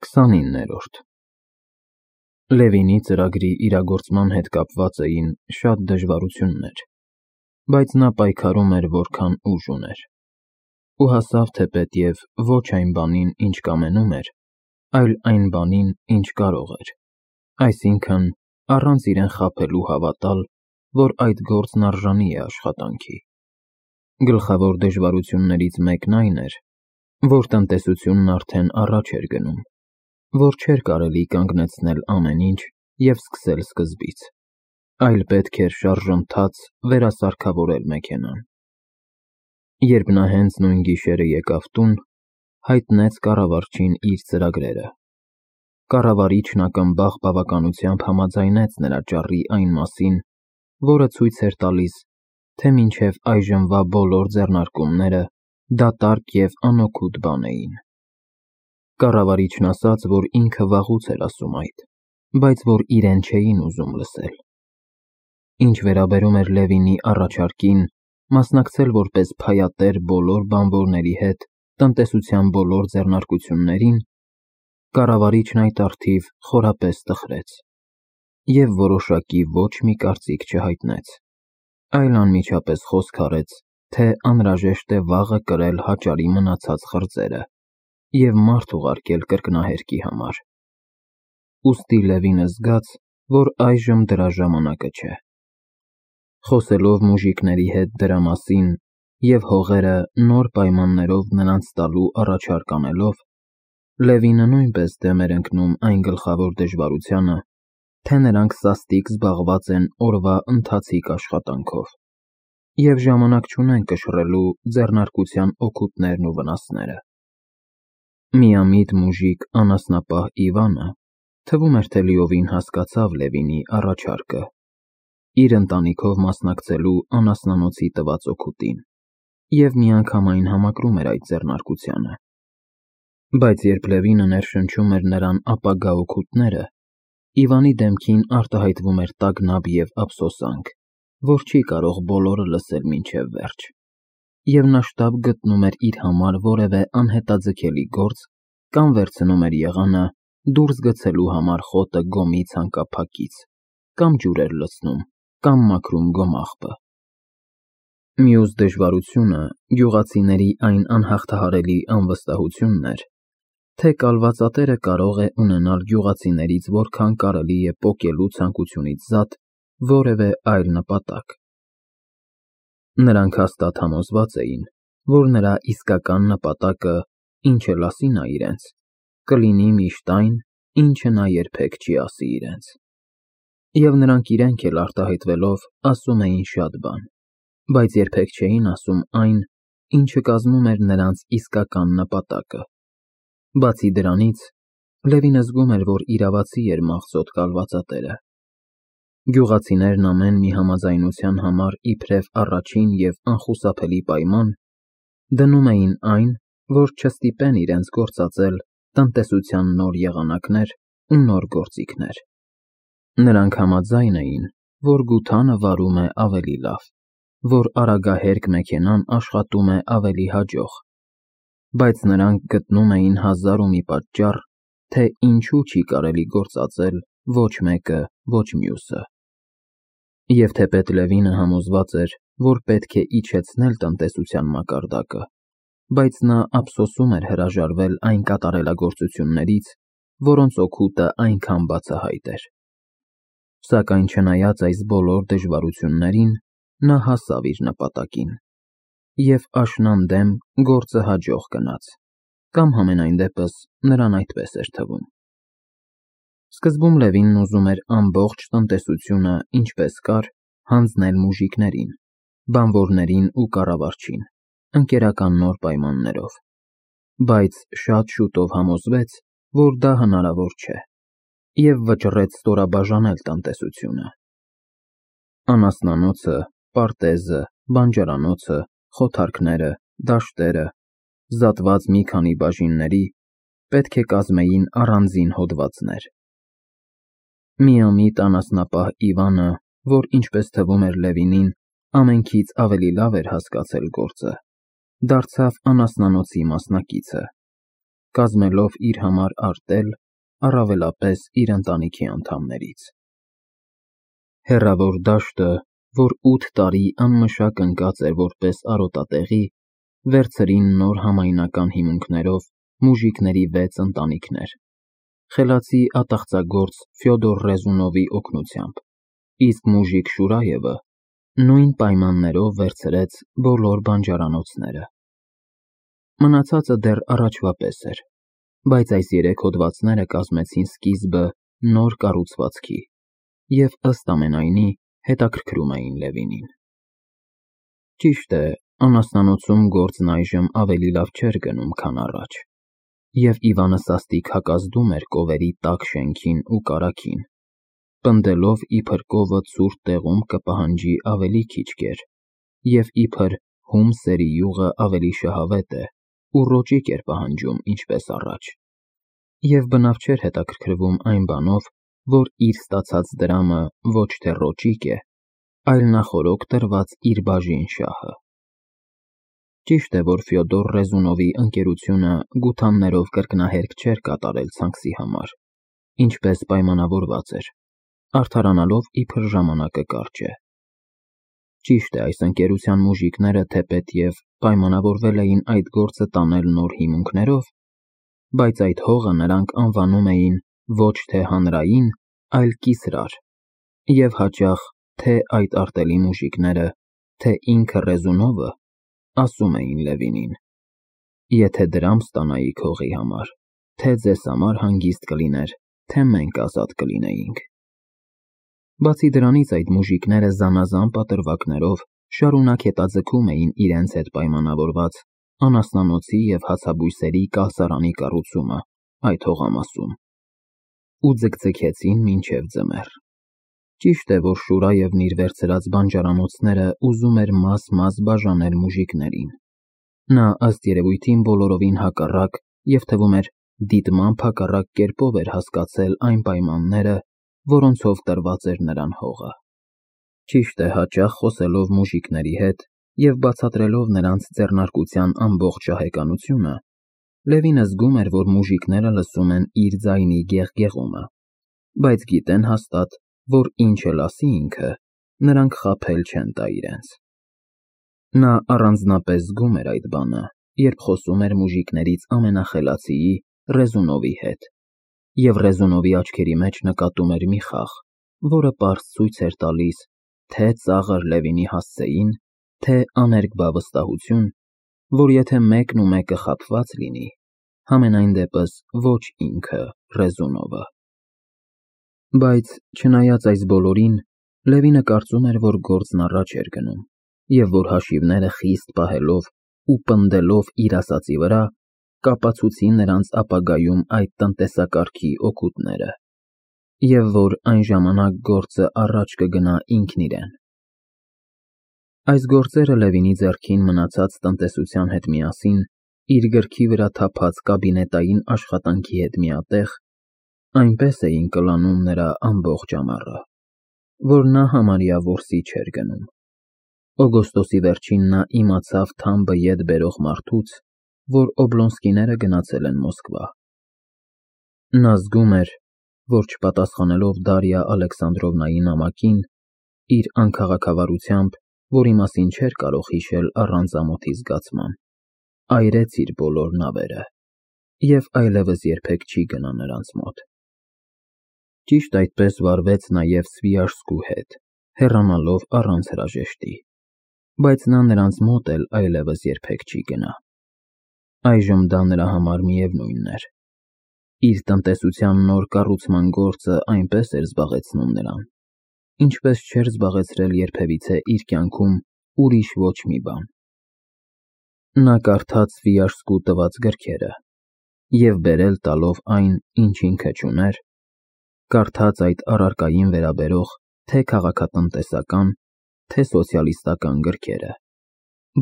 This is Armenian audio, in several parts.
29-րդ Լևինի ծրագրի իրագործման հետ կապված էին շատ դժվարություններ, բայց նա պայքարում էր որքան ուժ ուներ, ու հասավ թեպետև ոչ այն բանին, ինչ կամենում էր, այլ այն բանին, ինչ կարող էր, այսինքն առանց իրեն խաբելու հավատալ, որ այդ գործն արժանի է աշխատանքի։ Գլխավոր դժվարություններից մեկն այն էր, որ տնտեսությունն արդեն առաջ էր գնում, որ չէր կարելի կանգնեցնել ամեն ինչ և սկսել սկզբից, այլ պետք էր շարժընթաց վերասարքավորել մեքենան։ Երբ նա հենց նույն գիշերը եկավ տուն, հայտնեց կառավարչին իր ծրագրերը։ Կառավարիչն ակնբախ բավականությամբ համաձայնեց նրա ճառի այն մասին, որը ցույց էր տալիս, թե մինչև այժմվա բոլոր ձեռնարկումները դատարկ և անօգուտ բան էին։ Կառավարիչն ասաց, որ ինքը վաղուց էր ասում այդ, բայց որ իրեն չէին ուզում լսել։ Ինչ վերաբերում էր Լևինի առաջարկին մասնակցել որպես փայատեր բոլոր բանվորների հետ տնտեսության բոլոր ձեռնարկություններին, կառավարիչն այդ առթիվ խորապես տխրեց և որոշակի ոչ մի կարծիք չհայտնեց, այլ անմիջապես խոսք արեց, թե անհրաժեշտ է վաղը կրել հաճարի մնացած խրձերը և մարդ ուղարկել կրկնահերկի համար։ Ուստի Լևինը զգաց, որ այժմ դրա ժամանակը չէ։ Խոսելով մուժիկների հետ դրա մասին և հողերը նոր պայմաններով նրանց տալու առաջարկ անելով, Լևինը նույնպես դեմ էր ընկնում այն գլխավոր դժվարությանը, թե նրանք սաստիկ զբաղված են օրվա ընթացիկ աշխատանքով և ժամանակ չունեն կշռելու ձեռնարկության օգուտներն ու վնասները։ Միամիտ մուժիկ անասնապահ Իվանը թվում էր, թե լիովին հասկացավ Լևինի առաջարկը, իր ընտանիքով մասնակցելու անասնանոցի տված օգուտին և միանգամայն համակրում էր այդ ձեռնարկությանը։ Բայց երբ Լևինը ներշնչում էր նրան ապագա օգուտները, Իվանի դեմքին արտահայտվում էր տագնապ և ափսոսանք, որ չի կարող բոլորը լսել մինչև վերջ, և նա շտապ գտնում էր իր համար որևէ անհետաձգելի գործ կամ վերցնում էր եղանը դուրս գցելու համար խոտը գոմի ցանկափակից, կամ ջուր էր լցնում, կամ մաքրում գոմաղբը։ Մյուս դժվարությունը գյուղացիների այն անհաղթահարելի անվստահությունն էր, թե կալվածատերը կարող է ունենալ գյուղացիներից որքան կարելի է պոկելու ցանկությունից զատ որևէ այլ նպատակ։ Նրանք հաստատ համոզված էին, որ նրա իսկական նպատակը, ինչ էլ ասի նա իրենց, կլինի միշտ այն, ինչը նա երբեք չի ասի իրենց։ Եվ նրանք իրենք էլ արտահայտվելով ասում էին շատ բան, բայց երբեք չէին ասում այն, ինչը կազմում էր նրանց իսկական նպատակը։ Բացի դրանից, Լևինը զգում էր, որ իրավացի էր մաղձոտ կալվածատերը։ Գյուղացիներն ամեն մի համաձայնության համար իբրև առաջին և անխուսափելի պայման դնում էին այն, որ չստիպեն իրենց գործածել տնտեսության նոր եղանակներ ու նոր գործիքներ։ Նրանք համաձայն էին, որ գութանը վարում է ավելի լավ, որ արագահերկ մեքենան աշխատում է ավելի հաջող, բայց նրանք գտնում էին հազար ու մի պատճառ, թե ինչու չի կարելի գործածել ոչ մեկը, ոչ մյուսը։ Եվ թեպետ Լևինը համոզված էր, որ պետք է իջեցնել տնտեսության մակարդակը, բայց նա ափսոսում էր հրաժարվել այն կատարելագործություններից, որոնց օգուտը այնքան բացահայտ էր։ Սակայն չնայած այս բոլոր դժվարություններին, նա հասավ իր նպատակին, և աշնանդեմ գործը հաջող գնաց, կամ համենայն դեպս նրան այդպես էր թվում։ Սկզբում Լևինն ուզում էր ամբողջ տնտեսությունը, ինչպես կար, հանձնել մուժիկներին, բանվորներին ու կառավարչին, ընկերական նոր պայմաններով, բայց շատ շուտով համոզվեց, որ դա հնարավոր չէ, և վճռեց ստորաբաժանել տնտեսությունը։ Անասնանոցը, պարտեզը, բանջարանոցը, խոթարքները, դաշտերը, զատված մի քանի բաժինների պետք է կազմեին առանձին հոդվածներ։ Միամիտ անասնապահ Իվանը, որ ինչպես թվում էր Լևինին, ամենքից ավելի լավ էր հասկացել գործը, դարձավ անասնանոցի մասնակիցը կազմելով իր համար արտել, առավելապես իր ընտանիքի անդամներից։ Հեռավոր դաշտը, որ 8 տարի անմշակ ընկած էր որպես արոտատեղի, վերցրին նոր համայնական հիմունքներով մուժիկների 6 ընտանիքներ, խելացի ատաղծագործ Ֆյոդոր Ռեզունովի օգնությամբ, իսկ մուժիկ Շուրայևը նույն պայմաններով վերցրեց բոլոր բանջարանոցները։ Մնացածը դեռ առաջվա պես էր, բայց այս 3 հոդվածները կազմեցին սկիզբը նոր կառուցվածքի և ըստ ամենայնի հետաքրքրում էին Լևինին։ Ճիշտ է, անասնանոցում գործն այժմ ավելի լավ չէր գնում, քան առաջ, և Իվանը սաստիկ հակազդում էր կովերի տաք շենքին ու կարագին, պնդելով իբր կովը ցուրտ տեղում կպահանջի ավելի քիչ կեր, և իբր հում սերի յուղը ավելի շահավետ է ու ռոճիկ էր պահանջում ինչպես առաջ, և բնավ չէր հետաքրքրվում այն բանով, որ իր ստացած դրամը ոչ թե ռոճիկ է, այլ նախօրոք տրված իր բաժին շահը։ Ճիշտ է, որ Ֆյոդոր Ռեզունովի ընկերությունը գութաններով կրկնահերք չէր կատարել ցանքսի համար, ինչպես պայմանավորված էր, արդարանալով իբր ժամանակը կարճ է։ Ճիշտ է, այս ընկերության մուժիկները թեպետ և պայմանավորվել էին այդ գործը տանել նոր հիմունքներով, բայց այդ հողը նրանք անվանում էին ոչ թե հանրային, այլ կիսրար, և հաճախ թե այդ արտելի մուժիկները, թե ինքը Ռեզունովը ասում էին Լևինին. «Եթե դրամ ստանայիք հողի համար, թե ձեզ համար հանգիստ կլիներ, թե մենք ազատ կլինեինք»։ Բացի դրանից այդ մուժիկները զանազան պատրվակներով շարունակ հետաձգում էին իրենց հետ պայմանավորված անասնանոցի և հացաբույսերի կալսարանի կառուցումը այդ հողամասում ու ձգձգեցին մինչև ձմեռ։ Ճիշտ է, որ Շուրայևն իր վերցրած բանջարանոցները ուզում էր մաս-մաս բաժանել մուժիկներին։ Նա ըստ երևույթին բոլորովին հակառակ և թվում էր դիտմամբ հակառակ կերպով էր հասկացել այն պայմանները, որոնցով տրված էր նրան հողը։ Ճիշտ է, հաճախ խոսելով մուժիկների հետ և բացատրելով նրանց ձեռնարկության ամբողջ շահեկանությունը, Լևինը զգում էր, որ մուժիկները լսում են իր ձայնի գեղգեղումը, բայց գիտեն հաստատ, որ ինչ էլ ասի ինքը, նրանք խաբել չեն տա իրենց։ Նա առանձնապես զգում էր այդ բանը, երբ խոսում էր մուժիկներից ամենախելացիի Ռեզունովի հետ, և Ռեզունովի աչքերի մեջ նկատում էր մի խաղ, որը պարզ ցույց էր տալիս թե ծաղր Լևինի հասցեին, թե աներկբա վստահություն, որ եթե մեկն ու մեկը խաբված լինի, համենայն դեպս ոչ ինքը Ռեզունովը։ Բայց չնայած այս բոլորին, Լևինը կարծում էր, որ գործն առաջ էր գնում, և որ հաշիվները խիստ պահելով ու պնդելով իր ասածի վրա, կապացուցի նրանց ապագայում այդ տնտեսակարգի օգուտները, և որ այն ժամանակ գործը առաջ կգնա ինքն իրեն։ Այս գործերը Լևինի ձեռքին մնացած տնտեսության հետ միասին, իր գրքի վրա թափած կաբինետային աշխատանքի հետ միատեղ, այնպես էին կլանում նրա ամբողջ ամառը, որ նա համարյա որսի չէր գնում։ Օգոստոսի վերջին նա իմացավ թամբը ետ բերող մարդուց, որ Օբլոնսկիները գնացել են Մոսկվա։ Նա զգում էր, որ չպատասխանելով Դարիա Ալեքսանդրովնայի նամակին, իր անքաղաքավարությամբ, որի մասին չէր կարող հիշել առանց ամոթի զգացման, այրեց իր բոլոր նավերը և այլևս երբեք չի գնա նրանց մոտ։ Ճիշտ այդպես վարվեց նաև Սվիաժսկու հետ, հեռանալով առանց հրաժեշտի, բայց նա նրանց մոտ էլ այլևս երբեք չի գնա։ Այժմ դա նրա համար միևնույնն էր։ Իր տնտեսության նոր կառուցման գործը այնպես էր զբաղեցնում նրան, ինչպես չէր զբաղեցրել երբևիցե իր կյանքում ուրիշ ոչ մի բան։ Նա կարդաց Սվիաժսկու տված գրքերը և բերել տալով այն, ինչ ինքը չուներ, կարդաց այդ առարկային վերաբերող թե քաղաքատնտեսական, թե սոցիալիստական գրքերը,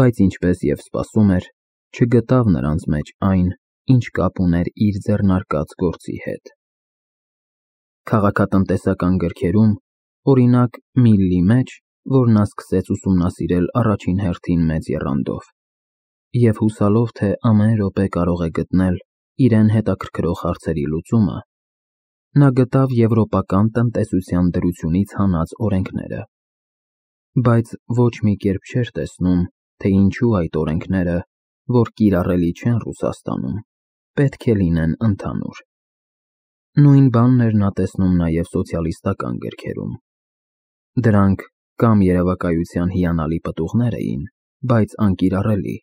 բայց ինչպես և սպասում էր, չգտավ նրանց մեջ այն, ինչ կապ ուներ իր ձեռնարկած գործի հետ։ Քաղաքատնտեսական գրքերում, օրինակ Միլլի մեջ, որ նա սկսեց ուսումնասիրել առաջին հերթին մեծ եռանդով, և հուսալով, թե ամեն րոպե կարող է գտնել իրեն հետաքրքրող հարցերի լուծումը, նա գտավ եվրոպական տնտեսության դրությունից հանած օրենքները, բայց ոչ մի կերպ չէր տեսնում, թե ինչու այդ օրենքները, որ կիրառելի չեն Ռուսաստանում, պետք է լինեն ընդհանուր։ Նույն բանն էր նա տեսնում նաև սոցիալիստական գրքերում։ Դրանք կամ երևակայության հիանալի պտուղներ էին, բայց անկիրառելի,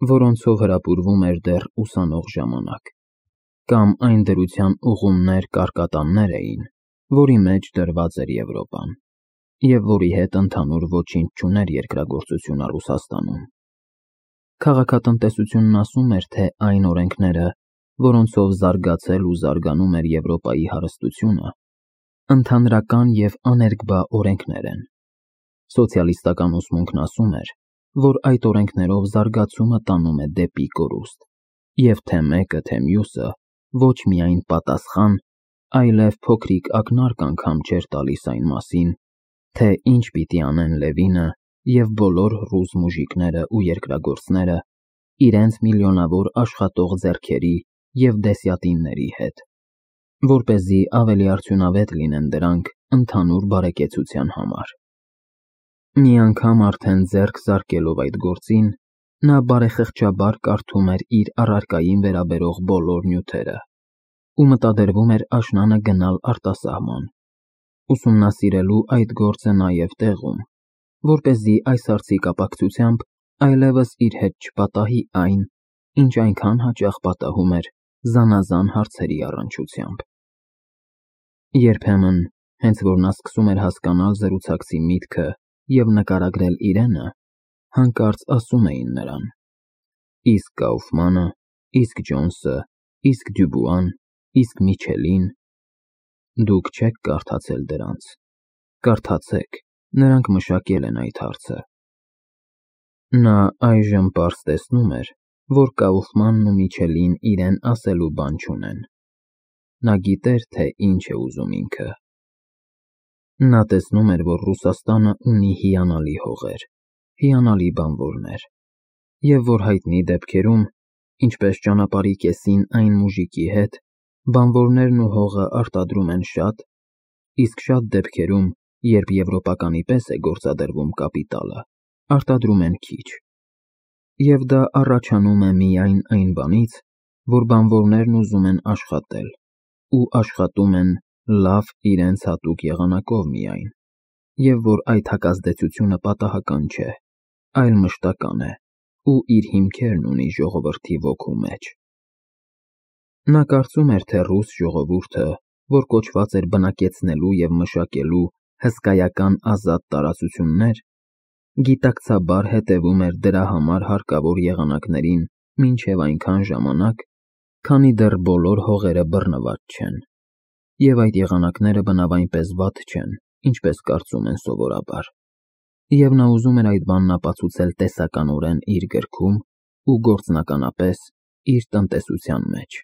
որոնցով հրապուրվում էր դեռ ուսանող ժամանակ, կամ այն դրության ուղումներ կարկատաններ էին, որի մեջ դրված էր Եվրոպան, և որի հետ ընդհանուր ոչինչ չուներ երկրագործությունը Ռուսաստանում։ Քաղաքատնտեսությունն ասում էր, թե այն օրենքները, որոնցով զարգացել ու զարգանում էր Եվրոպայի հարստությունը, ընդհանրական և աներկբա օրենքներ են։ Սոցիալիստական ուսմունքն ասում էր, որ այդ օրենքներով զարգացումը տանում է դեպի կորուստ, և թե մեկը, թե մյուսը ոչ միայն պատասխան, այլև փոքրիկ ակնարկ անգամ չէր տալիս այն մասին, թե ինչ պիտի անեն Լևինը և բոլոր ռուս մուժիկները ու երկրագործները իրենց միլիոնավոր աշխատող ձեռքերի և դեսյատինների հետ, որպեսզի ավելի արդյունավետ լինեն դրանք ընդհանուր բարեկեցության համար։ Մի անգամ արդեն ձեռք զարկելով այդ գործին, նա բարեխղճաբար կարդում էր իր առարկային վերաբերող բոլոր նյութերը ու մտադրվում էր աշնանը գնալ արտասահման, ուսումնասիրելու այդ գործը նաև տեղում, որպեսզի այս հարցի կապակցությամբ այլևս իր հետ չպատահի այն, ինչ այնքան հաճախ պատահում էր զանազան հարցերի առնչությամբ։ Երբեմն, հենց որ նա սկսում էր հասկանալ զրուցակցի միտքը և նկարագրել իրենը, հանկարծ ասում էին նրան. իսկ Կաուֆմանը, իսկ Ջոնսը, իսկ Դյուբուան, իսկ Միչելին, դուք չեք կարդացել դրանց, կարդացեք, նրանք մշակել են այդ հարցը։ Նա այժմ պարզ տեսնում էր, որ Կաուֆմանն ու Միչելին իրեն ասելու բան չունեն։ Նա գիտեր, թե ինչ է ուզում ինքը։ Նա տեսնում էր, որ Ռուսաստանը ունի հիանալի հողեր, հիանալի բանվորներ, և որ հայտնի դեպքերում, ինչպես ճանապարհի կեսին այն մուժիկի հետ, բանվորներն ու հողը արտադրում են շատ, իսկ շատ դեպքերում, երբ եվրոպականի պես է գործադրվում կապիտալը, արտադրում են քիչ։ Եվ դա առաջանում է միայն այն բանից, որ բանվորներն ուզում են աշխատել ու աշխատում են լավ իրենց հատուկ եղանակով միայն, և որ այդ հակազդեցությունը պատահական չէ, այլ մշտական է ու իր հիմքերն ունի ժողովրդի ոգու մեջ։ Նա կարծում էր, թե ռուս ժողովուրդը, որ կոչված էր բնակեցնելու և մշակելու հսկայական ազատ տարածություններ, գիտակցաբար հետևում էր դրա համար հարկավոր եղանակներին մինչև այնքան ժամանակ, քանի դեռ բոլոր հողերը բռնված չեն, և այդ եղանակները բնավ այնպես վատ չեն, ինչպես կարծում են սովորաբար, և նա ուզում էր այդ բանն ապացուցել տեսականորեն իր գրքում ու գործնականապես իր տնտեսության մեջ։